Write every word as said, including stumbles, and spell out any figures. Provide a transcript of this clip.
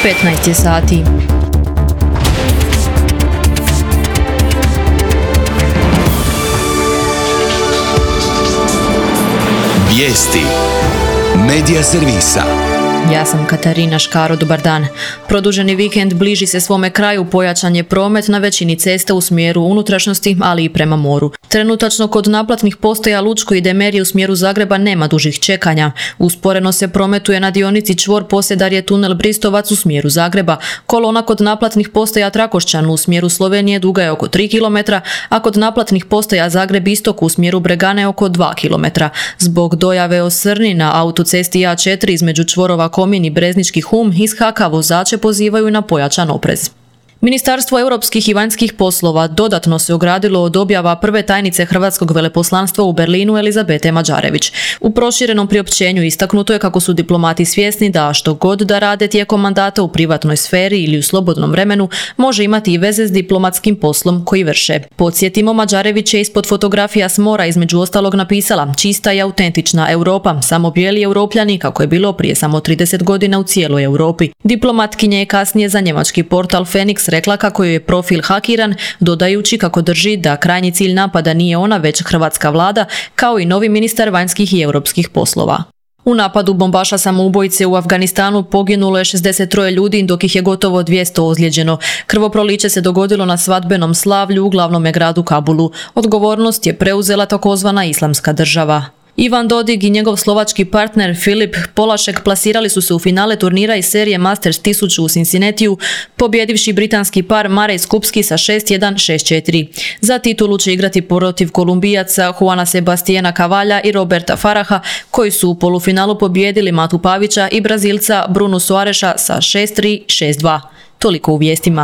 petnaest je sati. Vijesti Medija servisa. Ja sam Katarina Škaro, dobar dan. Produženi vikend bliži se svome kraju, pojačan je promet na većini cesta u smjeru unutrašnjosti, ali i prema moru. Trenutačno kod naplatnih postaja Lučko i Demerije u smjeru Zagreba nema dužih čekanja. Usporeno se prometuje na dionici čvor Posedarje tunel Bristovac u smjeru Zagreba. Kolona kod naplatnih postaja Trakošćan u smjeru Slovenije duga je oko tri kilometra, a kod naplatnih postaja Zagreb istok u smjeru Bregane oko dva kilometra. Zbog dojave osrni na autocesti A četiri između čvorova Komin i Breznički Hum iz Haka vozače pozivaju na pojačan oprez. Ministarstvo europskih i vanjskih poslova dodatno se ogradilo od objava prve tajnice Hrvatskog veleposlanstva u Berlinu Elizabete Mađarević. U proširenom priopćenju istaknuto je kako su diplomati svjesni da što god da rade tijekom mandata u privatnoj sferi ili u slobodnom vremenu može imati i veze s diplomatskim poslom koji vrše. Podsjetimo, Mađarević je ispod fotografija s mora između ostalog napisala: čista i autentična Europa, samo bijeli Europljani, kako je bilo prije samo trideset godina u cijeloj Europi. Diplomatkinja je kasnije za njemački portal Phoenix rekla kako joj je profil hakiran, dodajući kako drži da krajnji cilj napada nije ona, već hrvatska vlada, kao i novi ministar vanjskih i europskih poslova. U napadu bombaša samoubojice u Afganistanu poginulo je šezdeset troje ljudi, dok ih je gotovo dvjesto ozlijeđeno. Krvoproliće se dogodilo na svadbenom slavlju u glavnom gradu Kabulu. Odgovornost je preuzela takozvana Islamska država. Ivan Dodig i njegov slovački partner Filip Polašek plasirali su se u finale turnira iz serije Masters tisuću u Cincinnatiju, pobjedivši britanski par Marej Skupski sa šest jedan šest četiri. Za titulu će igrati protiv Kolumbijaca Juana Sebastiana Cavalja i Roberta Faraha, koji su u polufinalu pobjedili Matu Pavića i Brazilca Bruno Soareša sa šest tri šest dva. Toliko u vijestima.